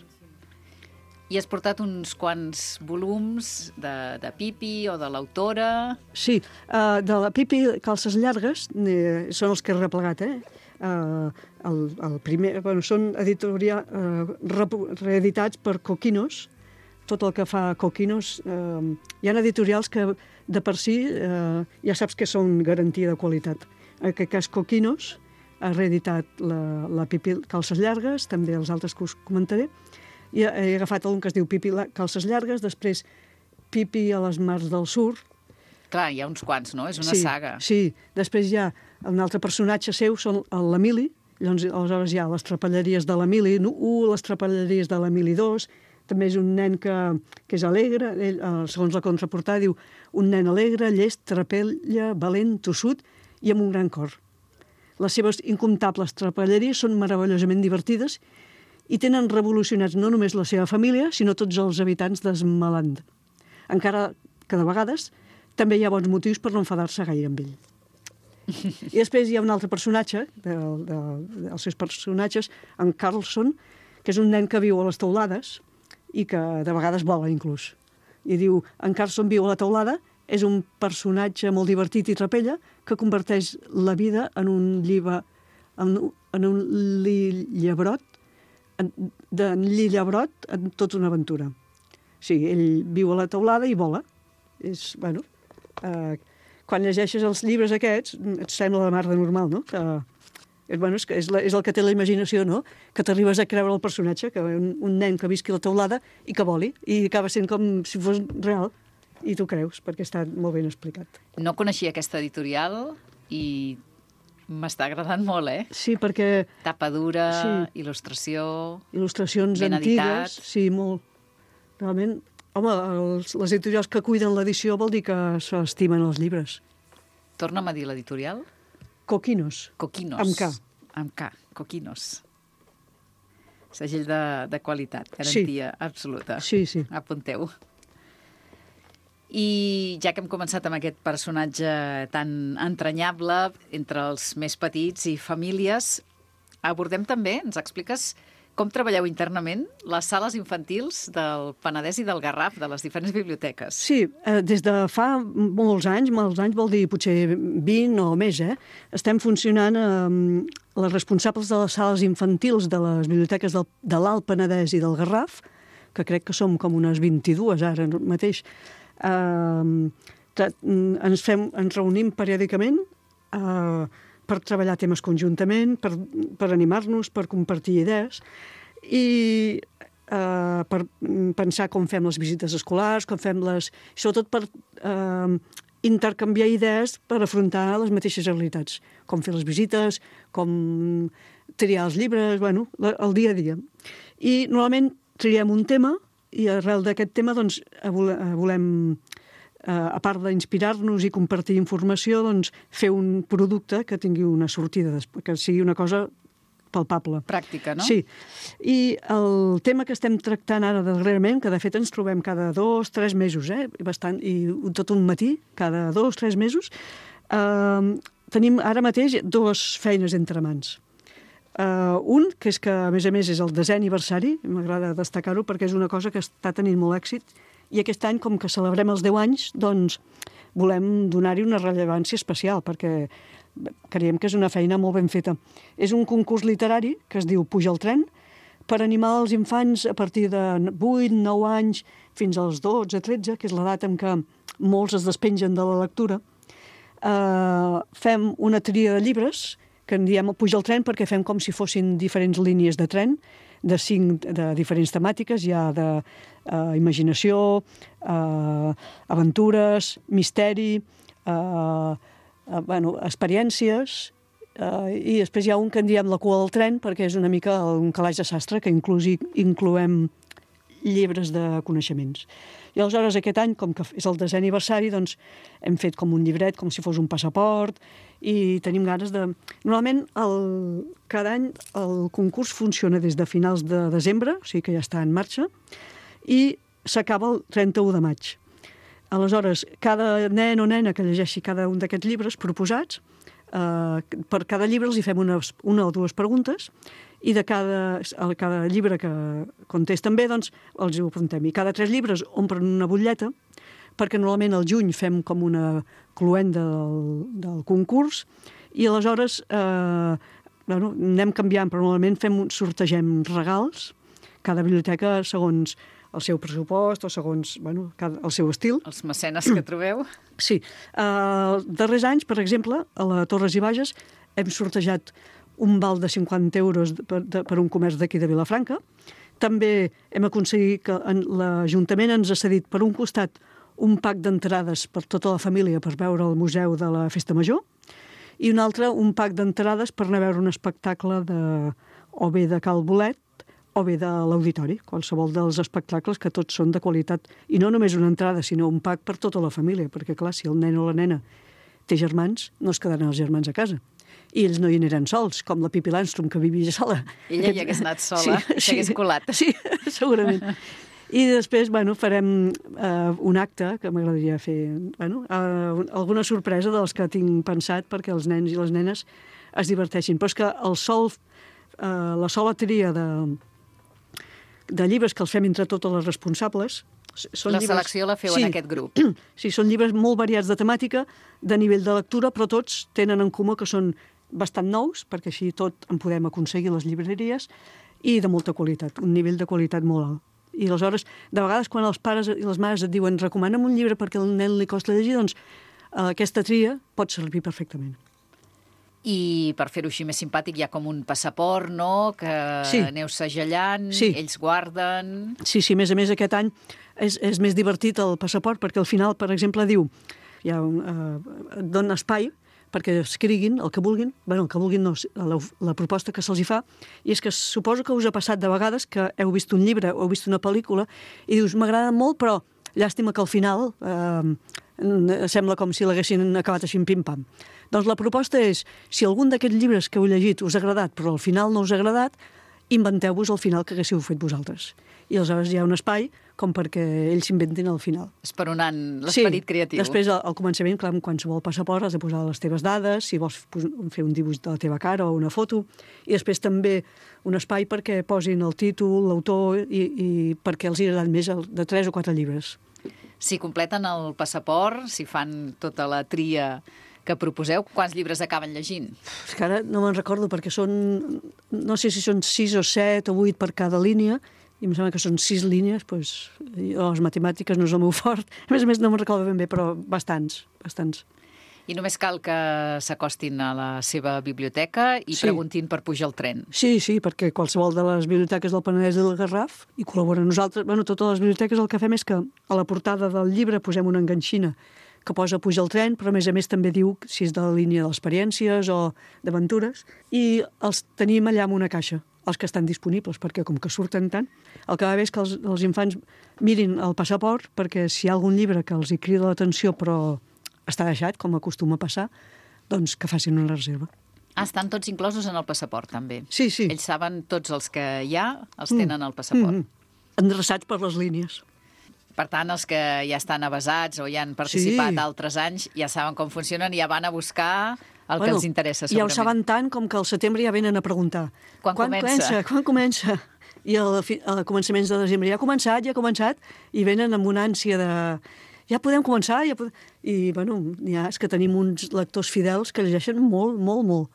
I has portat uns quants volums de, de Pipi o de l'autora? Sí, uh, de la Pipi Calces Llargues, eh, són els que he replegat, eh? Uh, el, el primer, bueno, són editoria, uh, reeditats per Coquinos, tot el que fa Coquinos. Uh, hi ha editorials que de per si uh, ja saps que són garantia de qualitat. En aquest cas Coquinos ha reeditat la, la Pipi Calces Llargues, també els altres que us comentaré, i he agafat un que es diu Pipi Calces Llargues, després Pipi a les mars del sur. Clar, hi ha uns quants, no? És una sí, saga. Sí, després hi ha un altre personatge seu, són l'Emili, llavors aleshores hi ha les trapelleries de l'Emili u, les trapelleries de l'Emili dos, també és un nen que, que és alegre, ell, segons la contraportada diu un nen alegre, llest, trapella, valent, tossut i amb un gran cor. Les seves incomptables trapelleries són meravellosament divertides i tenen revolucionats no només la seva família, sinó tots els habitants d'Esmeland. Encara que de vegades també hi ha bons motius per no enfadar-se gaire amb ell. I després hi ha un altre personatge, de, de, dels seus personatges, en Carlson, que és un nen que viu a les teulades i que de vegades vola inclús. I diu, en Carlson viu a la teulada, és un personatge molt divertit i trapella que converteix la vida en un llibre, en, en un llibrot, d'en Llillabrot en tota una aventura. Sí, ell viu a la teulada i vola. És, bueno, eh, quan llegeixes els llibres aquests, et sembla la mar de normal, no? Que, és, bueno, és, és, la, és el que té la imaginació, no? Que t'arribes a creure el personatge, que un, un nen que visqui a la teulada i que voli, i acaba sent com si fos real, i tu creus, perquè està molt ben explicat. No coneixia aquesta editorial i M'està agradant molt, eh? Sí, perquè... Tapa dura, sí. il·lustració... Il·lustracions ben antigues. editat. Sí, molt. Realment, home, els, les editorials que cuiden l'edició vol dir que s'estimen els llibres. Torna'm a dir l'editorial. Coquinos. Coquinos. Amb K. Amb K, Coquinos. Segell de, de qualitat, garantia sí. absoluta. Sí, sí. Apunteu. I ja que hem començat amb aquest personatge tan entranyable entre els més petits i famílies, abordem també, ens expliques com treballeu internament les sales infantils del Penedès i del Garraf, de les diferents biblioteques. Sí, eh, des de fa molts anys, molts anys vol dir potser vint o més, eh? Estem funcionant eh, les responsables de les sales infantils de les biblioteques del, de l'Alt Penedès i del Garraf, que crec que som com unes vint-i-dues ara mateix. Uh, ens, fem, ens reunim periòdicament uh, per treballar temes conjuntament, per, per animar-nos, per compartir idees i uh, per pensar com fem les visites escolars, com fem les... sobretot per uh, intercanviar idees per afrontar les mateixes realitats, com fer les visites, com triar els llibres, bueno, el dia a dia. I normalment triem un tema i arrel d'aquest tema doncs, volem, a part d'inspirar-nos i compartir informació, doncs, fer un producte que tingui una sortida, que sigui una cosa palpable. Pràctica, no? Sí. I el tema que estem tractant ara darrerament, que de fet ens trobem cada dos, tres mesos, eh? Bastant, i tot un matí, cada dos, tres mesos, eh, tenim ara mateix dues feines entre mans. Uh, un, que és que, a més a més, és el desè aniversari, m'agrada destacar-ho perquè és una cosa que està tenint molt èxit, i aquest any, com que celebrem els deu anys, doncs volem donar-hi una rellevància especial, perquè creiem que és una feina molt ben feta. És un concurs literari que es diu Puja el tren, per animar els infants a partir de vuit, nou anys, fins als dotze, tretze, que és l'edat en què molts es despengen de la lectura. Uh, fem una tria de llibres, que en diem Puja el tren perquè fem com si fossin diferents línies de tren, de cinc de diferents temàtiques, hi ha de uh, imaginació, uh, aventures, misteri, uh, uh, bueno, experiències, uh, i després hi ha un que en diem La cua del tren, perquè és una mica un calaix de sastre que inclús incloem llibres de coneixements. I aleshores aquest any, com que és el desè aniversari, doncs hem fet com un llibret, com si fos un passaport, i tenim ganes de... Normalment, el... cada any el concurs funciona des de finals de desembre, o sigui que ja està en marxa, i s'acaba el trenta-u de maig. Aleshores, cada nen o nena que llegeixi cada un d'aquests llibres proposats, eh, per cada llibre els hi fem unes, una o dues preguntes, i de cada, cada llibre que contesten bé, doncs els ho apuntem. I cada tres llibres omplen una butlleta, perquè normalment al juny fem com una cluenda del, del concurs, i aleshores eh, bueno, anem canviant, però normalment fem, sortegem regals, cada biblioteca segons el seu pressupost o segons bueno, cada, el seu estil. Els mecenes que trobeu. Sí. Els uh, darrers anys, per exemple, a la Torres i Bages hem sortejat un val de cinquanta euros per, de, per un comerç d'aquí de Vilafranca. També hem aconseguit que l'Ajuntament ens ha cedit per un costat un pack d'entrades per tota la família per veure el Museu de la Festa Major i un altre un pack d'entrades per anar a veure un espectacle de, o bé de Cal Bolet o bé de l'Auditori, qualsevol dels espectacles que tots són de qualitat. I no només una entrada, sinó un pack per tota la família, perquè clar, si el nen o la nena té germans, no es quedaran els germans a casa. I ells no hi aniran sols, com la Pippi Landstrum, que vivia sola. Ella Aquest... hi hagués anat sola, sí, i s'hagués sí, colat. Sí, segurament. I després, bueno, farem uh, un acte que m'agradaria fer, bueno, uh, alguna sorpresa dels que tinc pensat perquè els nens i les nenes es diverteixin. Però és que el sol, uh, la sola tria de, de llibres que els fem entre totes les responsables... Són la llibres... selecció la feu sí. en aquest grup. Sí, són llibres molt variats de temàtica, de nivell de lectura, però tots tenen en comú que són bastant nous, perquè així tot en podem aconseguir les llibreries, i de molta qualitat, un nivell de qualitat molt alt. I aleshores, de vegades, quan els pares i les mares et diuen recomana'm un llibre perquè al nen li costa llegir, doncs eh, aquesta tria pot servir perfectament. I per fer-ho així més simpàtic hi ha com un passaport, no?, que sí. aneu segellant, sí. ells guarden... Sí, sí, a més a més aquest any és, és més divertit el passaport perquè al final, per exemple, diu, hi ha un, eh, et dona espai perquè escriguin el que vulguin, bueno, el que vulguin no, la, la proposta que se'ls hi fa, i és que suposo que us ha passat de vegades que heu vist un llibre o heu vist una pel·lícula i dius, m'agrada molt, però llàstima que al final eh, sembla com si l'haguessin acabat així pim-pam. Doncs la proposta és, si algun d'aquests llibres que heu llegit us ha agradat, però al final no us ha agradat, inventeu-vos el final que haguéssiu fet vosaltres. I aleshores hi ha un espai com perquè ells s'inventin al final. Esperonant l'esperit sí, creatiu. Després, al, al començament, clar, en qualsevol passaport has de posar les teves dades, si vols fer un dibuix de la teva cara o una foto, i després també un espai perquè posin el títol, l'autor, i, i perquè els hi agraden més el, de tres o quatre llibres. Si completen el passaport, si fan tota la tria que proposeu, quants llibres acaben llegint? És que ara no me'n recordo, perquè són, no sé si són sis o set o vuit per cada línia, i em sembla que són sis línies, doncs, jo, les matemàtiques no és el meu fort. A més a més, no me'n recordo ben bé, però bastants, bastants. I només cal que s'acostin a la seva biblioteca i sí. preguntin per pujar al tren. Sí, sí, perquè qualsevol de les biblioteques del Penedès i del Garraf hi col·laboren nosaltres. Bueno, totes les biblioteques el que fem és que a la portada del llibre posem una enganxina que posa pujar al tren, però a més a més també diu si és de la línia d'experiències o d'aventures, i els tenim allà en una caixa, els que estan disponibles, perquè com que surten tant, el que va bé és que els, els infants mirin el passaport, perquè si hi ha algun llibre que els hi crida l'atenció però està deixat, com acostuma a passar, doncs que facin una reserva. Ah, estan tots inclosos en el passaport, també. Sí, sí. Ells saben tots els que hi ha, els tenen al passaport. Mm -hmm. Endreçats per les línies. Per tant, els que ja estan avesats o ja han participat sí. altres anys ja saben com funcionen i ja van a buscar el bueno, que els interessa, segurament. Ja ho saben tant com que al setembre ja venen a preguntar. Quan, quan comença? comença? Quan comença? I al, al començaments de desembre ja ha començat, ja ha començat, i venen amb una ànsia de... Ja podem començar? Ja podem... I, bueno, ja és que tenim uns lectors fidels que llegeixen molt, molt, molt.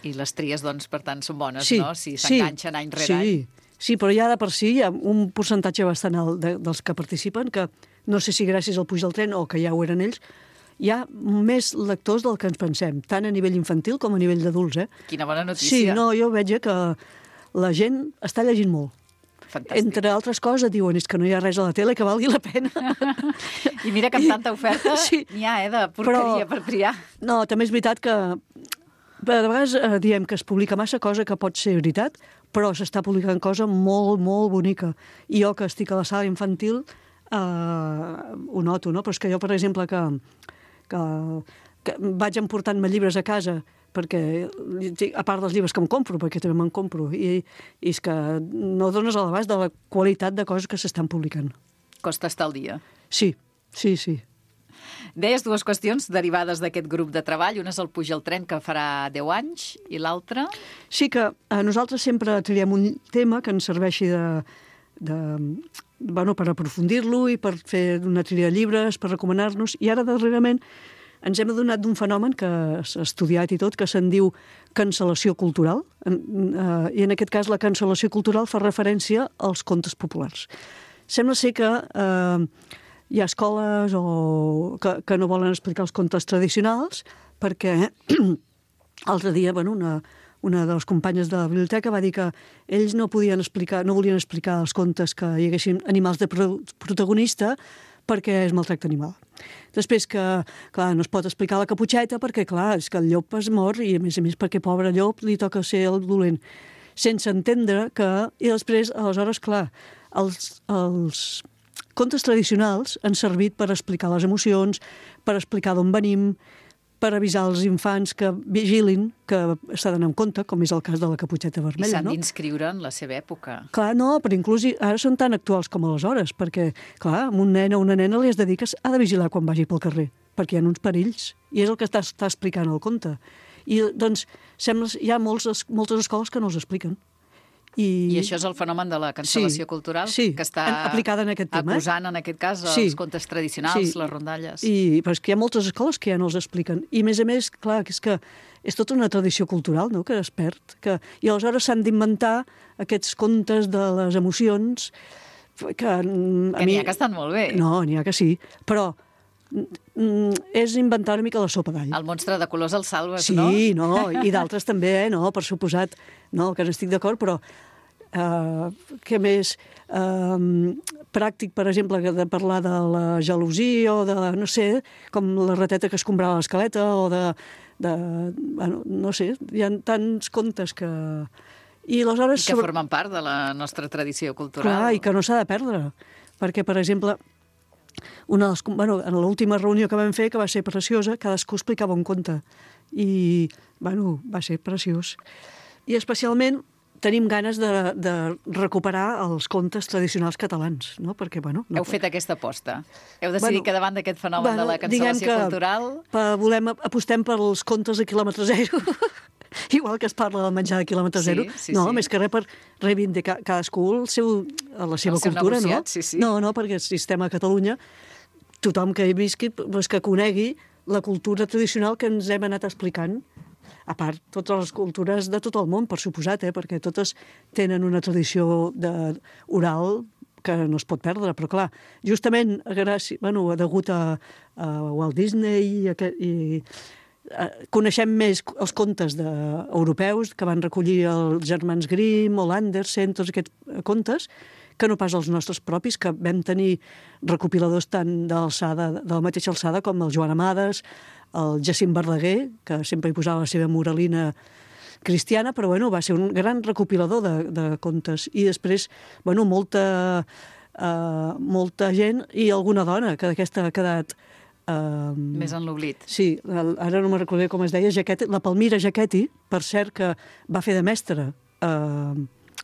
I les tries, doncs, per tant, són bones, sí, no? Si s'enganxen sí, any rere sí. any. Sí, però ja de per si hi ha un percentatge bastant alt de, dels que participen, que no sé si gràcies al puig del tren o que ja ho eren ells, hi ha més lectors del que ens pensem, tant a nivell infantil com a nivell d'adults, eh? Quina bona notícia. Sí, no, jo veig que la gent està llegint molt. Fantàstic. Entre altres coses, diuen, és que no hi ha res a la tele que valgui la pena. I mira que amb tanta oferta sí. n'hi ha, eh, de porqueria però, per triar. No, també és veritat que a vegades eh, diem que es publica massa, cosa que pot ser veritat, però s'està publicant cosa molt, molt bonica. I jo, que estic a la sala infantil, eh, ho noto, no? Però és que jo, per exemple, que, que, que vaig emportant-me llibres a casa, perquè, a part dels llibres que em compro, perquè també me'n compro, i, i és que no dones a l'abast de la qualitat de coses que s'estan publicant. Costa estar al dia. Sí, sí, sí. Deies dues qüestions derivades d'aquest grup de treball. Una és el Puja al tren, que farà deu anys, i l'altra? Sí, que a nosaltres sempre triem un tema que ens serveixi de, de, bueno, per aprofundir-lo i per fer una tria de llibres, per recomanar-nos, i ara darrerament ens hem adonat d'un fenomen que s'ha estudiat i tot, que se'n diu cancel·lació cultural, i en aquest cas la cancel·lació cultural fa referència als contes populars. Sembla ser que eh, hi ha escoles o que, que no volen explicar els contes tradicionals perquè l'altre dia, bueno, una, una de les companyes de la biblioteca va dir que ells no podien explicar, no volien explicar els contes que hi haguessin animals de protagonista perquè és maltracte animal. Després que, clar, no es pot explicar la caputxeta perquè, clar, és que el llop es mor i, a més a més, perquè pobre llop li toca ser el dolent. Sense entendre que... I després, aleshores, clar, els, els contes tradicionals han servit per explicar les emocions, per explicar d'on venim, per avisar els infants que vigilin, que s'ha d'anar en compte, com és el cas de la caputxeta vermella, no? I s'han d'inscriure en la seva època. Clar, no, però inclús ara són tan actuals com aleshores, perquè, clar, a un nen o una nena li has de dir que ha de vigilar quan vagi pel carrer, perquè hi ha uns perills, i és el que està, està explicant el conte. I, doncs, sembla, hi ha molts, moltes escoles que no els expliquen. I, I això és el fenomen de la cancel·lació sí, cultural, sí, que està aplicada en aquest tema, acusant, en aquest cas, els sí, contes tradicionals, sí, les rondalles. I, però és que hi ha moltes escoles que ja no els expliquen. I, a més a més, clar, que és que és tota una tradició cultural, no?, que es perd. Que, I aleshores s'han d'inventar aquests contes de les emocions que... Que n'hi ha que estan molt bé. No, n'hi ha que sí, però és inventar una mica la sopa d'all. El monstre de colors el salves, sí, no? Sí, no, i d'altres també, eh? No, per suposat, no, que n'estic d'acord, però Uh, què més uh, pràctic, per exemple, de parlar de la gelosia o de, no sé, com la rateta que escombrava l'escaleta o de de, bueno, no sé, hi ha tants contes que... I, aleshores, I que sobre... formen part de la nostra tradició cultural. Clar, i que no s'ha de perdre. Perquè, per exemple, una de les, bueno, en l'última reunió que vam fer, que va ser preciosa, cadascú explicava un conte. I, bueno, va ser preciós. I especialment tenim ganes de, de recuperar els contes tradicionals catalans, no? Perquè, bueno... No... Heu fet aquesta aposta. Heu decidit bueno, que davant d'aquest fenomen bueno, de la cancel·lació cultural... Pa, volem, apostem pels contes de quilòmetre zero, igual que es parla del menjar de quilòmetre zero. Sí, sí, no, sí. més que res per reivindicar cadascú el seu, la seva el seu cultura, negociat, no? Sí, sí. No, no, perquè el sistema a Catalunya, tothom que hi visqui, pues, que conegui la cultura tradicional que ens hem anat explicant. A part, totes les cultures de tot el món, per suposat, eh? Perquè totes tenen una tradició de, oral que no es pot perdre, però clar, justament gràcies, bueno, degut a, a Walt Disney i, a, i a, coneixem més els contes de, europeus que van recollir els germans Grimm o l'Andersen, tots aquests contes, que no pas els nostres propis, que vam tenir recopiladors tant d'alçada, de la mateixa alçada com el Joan Amades, el Jacint Verdaguer, que sempre hi posava la seva moralina cristiana, però bueno, va ser un gran recopilador de, de contes. I després, bueno, molta, uh, molta gent i alguna dona que d'aquesta ha quedat... Uh, Més en l'oblit. Sí, ara no me recordo com es deia, Jaquetti, la Palmira Jaquetti, per cert, que va fer de mestra uh,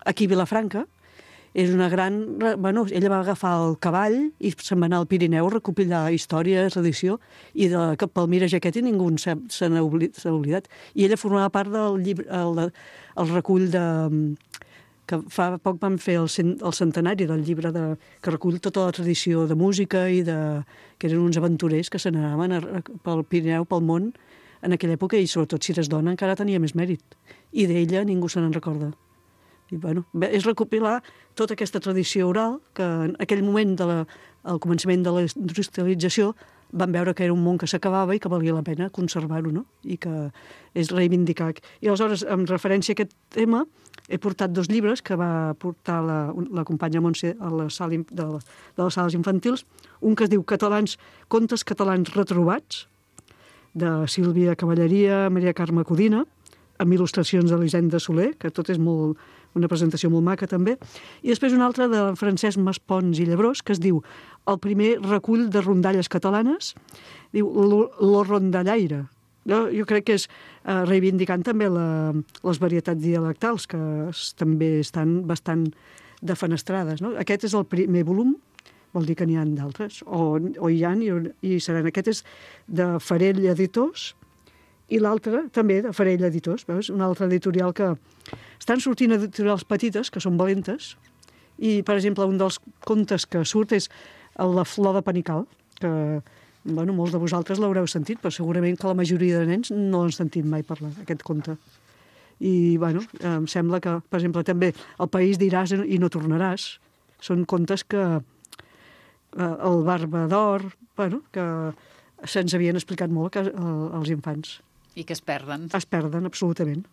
aquí a Vilafranca. És una gran... Bueno, ella va agafar el cavall i se'n va anar al Pirineu a recopilar història, tradició, i de Palmira Jaquetti ningú se n'ha oblidat. I ella formava part del llibre, el, el recull de... que fa poc vam fer el, cent, el centenari del llibre de, que recull tota la tradició de música i de... que eren uns aventurers que se n'anaven pel Pirineu, pel món, en aquella època, i sobretot si eres dona encara tenia més mèrit. I d'ella ningú se n'en recorda. I, bueno, és recopilar tota aquesta tradició oral que en aquell moment del de començament de la industrialització van veure que era un món que s'acabava i que valia la pena conservar-ho, no? I que és reivindicar. I aleshores, en referència a aquest tema, he portat dos llibres que va portar la, la companya Montse a la sala de, la, de les sales infantils. Un que es diu Catalans, Contes catalans retrobats, de Sílvia Cavalleria, Maria Carme Codina, amb il·lustracions d'Elisenda Soler, que tot és molt, una presentació molt maca també, i després una altra de Francesc Maspons i Llebrós, que es diu el primer recull de rondalles catalanes, diu Lo rondallaire. Jo, jo crec que és eh, reivindicant també la, les varietats dialectals, que es, també estan bastant defenestrades, no? Aquest és el primer volum, vol dir que n'hi ha d'altres, o, o hi ha i, i seran. Aquest és de Farell Editors, i l'altre també de Farell Editors, veus? Una altra editorial que estan sortint editorials petites, que són valentes, i, per exemple, un dels contes que surt és La flor de Panical, que, bueno, molts de vosaltres l'haureu sentit, però segurament que la majoria de nens no han sentit mai parlar, aquest conte. I, bueno, em sembla que, per exemple, també El país diràs i no tornaràs, són contes que eh, el Barba d'Or, bueno, que se'ns havien explicat molt als infants. I que es perden. Es perden, absolutament.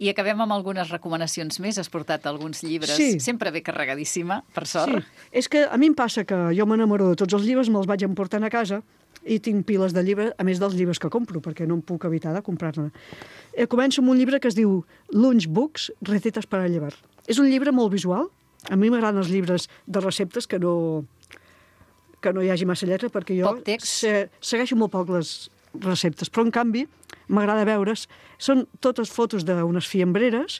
I acabem amb algunes recomanacions més. Has portat alguns llibres, sí. Sempre bé carregadíssima, per sort. Sí. És que a mi em passa que jo m'enamoro de tots els llibres, me'ls vaig emportant a casa i tinc piles de llibres, a més dels llibres que compro, perquè no em puc evitar de comprar-ne. Eh, començo amb un llibre que es diu Lunchbooks, recetes per a llevar. És un llibre molt visual. A mi m'agraden els llibres de receptes que no, que no hi hagi massa lletra, perquè jo se, segueixo molt poc les receptes, però en canvi m'agrada veure's. Són totes fotos d'unes fiambreres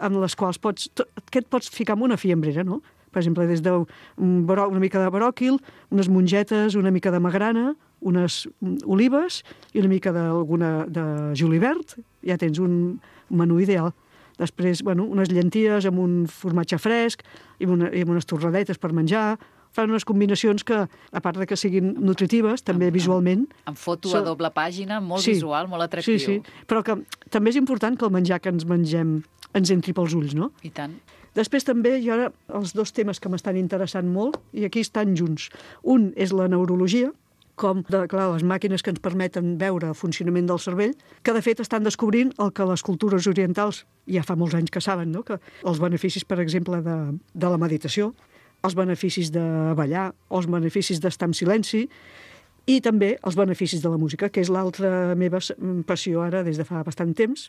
amb les quals pots... Tot, què et pots ficar en una fiambrera, no? Per exemple, des d'una mica de bròquil, unes mongetes, una mica de magrana, unes olives i una mica d'alguna de julivert. Ja tens un menú ideal. Després, bueno, unes llenties amb un formatge fresc i, una, i amb unes torradetes per menjar. Fan unes combinacions que, a part de que siguin nutritives, també visualment... Amb foto a doble pàgina, molt sí, visual, molt atractiu. Sí, sí, però que també és important que el menjar que ens mengem ens entri pels ulls, no? I tant. Després també hi ha els dos temes que m'estan interessant molt i aquí estan junts. Un és la neurologia, com de, clar, les màquines que ens permeten veure el funcionament del cervell, que de fet estan descobrint el que les cultures orientals ja fa molts anys que saben, no? Que els beneficis, per exemple, de, de la meditació, els beneficis de ballar, els beneficis d'estar en silenci, i també els beneficis de la música, que és l'altra meva passió ara des de fa bastant temps.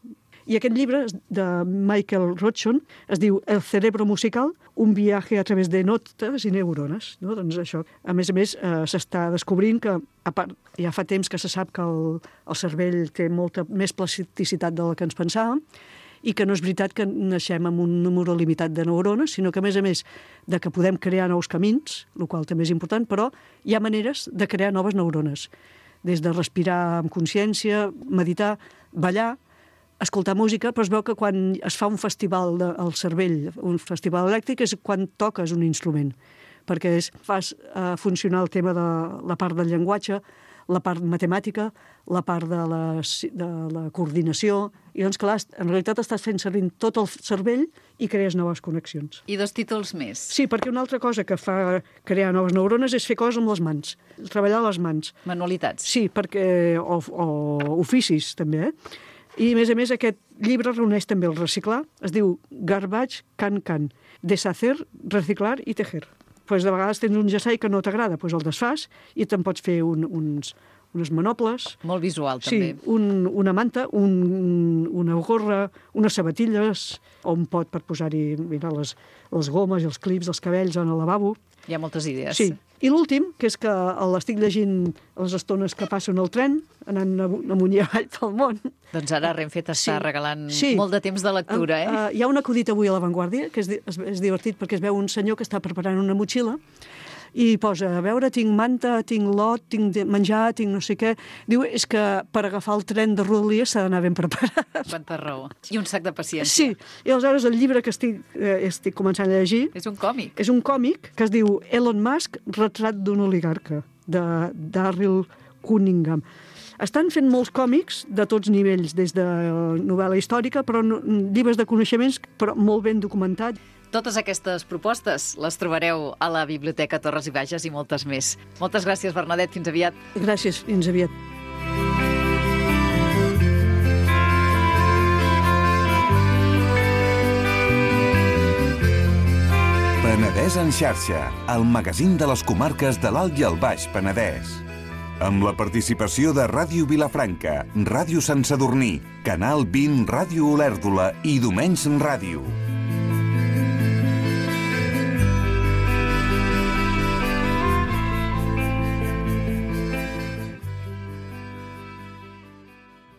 I aquest llibre de Michael Rothschild es diu El cerebro musical, un viaje a través de notes i neurones. No? Doncs això. A més a més, eh, s'està descobrint que, a part, ja fa temps que se sap que el, el cervell té molta més plasticitat de la que ens pensàvem, i que no és veritat que naixem amb un número limitat de neurones, sinó que, a més a més, de que podem crear nous camins, el qual també és important, però hi ha maneres de crear noves neurones, des de respirar amb consciència, meditar, ballar, escoltar música, però es veu que quan es fa un festival de, al cervell, un festival elèctric, és quan toques un instrument, perquè és, fas uh, funcionar el tema de la part del llenguatge, la part matemàtica, la part de la, de la coordinació, i doncs, clar, en realitat estàs fent servir tot el cervell i crees noves connexions. I dos títols més. Sí, perquè una altra cosa que fa crear noves neurones és fer coses amb les mans, treballar les mans. Manualitats. Sí, perquè, o, o oficis, també, eh? I, a més a més, aquest llibre reuneix també el reciclar, es diu Garbage Can Can, deshacer, reciclar i tejer. Pues de vegades tens un jersei que no t'agrada, pues el desfas i te'n pots fer un, uns, unes manoples. Molt visual, també. Sí, un, una manta, un, una gorra, unes sabatilles, o un pot per posar-hi mira, les, les gomes i els clips dels cabells en el lavabo. Hi ha moltes idees. Sí. I l'últim, que és que l'estic llegint a les estones que passo en el tren, anant amunt i avall pel món. Doncs ara Renfe t'està Sí. regalant Sí. molt de temps de lectura, eh? Uh, uh, hi ha un acudit avui a La Vanguardia, que és, és, és divertit perquè es veu un senyor que està preparant una motxilla i posa, a veure, tinc manta, tinc lot, tinc menjar, tinc no sé què. Diu, és que per agafar el tren de Rodalies s'ha d'anar ben preparat. Quanta raó. I un sac de paciència. Sí, i aleshores el llibre que estic, eh, estic començant a llegir... És un còmic. És un còmic que es diu Elon Musk, retrat d'un oligarca, de Darryl Cunningham. Estan fent molts còmics de tots nivells, des de novel·la històrica, però no, llibres de coneixements, però molt ben documentats. Totes aquestes propostes les trobareu a la Biblioteca Torres i Bages i moltes més. Moltes gràcies, Bernadette. Fins aviat. Gràcies. Fins aviat. Penedès en xarxa, el magazín de les comarques de l'Alt i el Baix Penedès. Amb la participació de Ràdio Vilafranca, Ràdio Sant Sadurní, Canal vint Ràdio Olèrdola i Domenys Ràdio.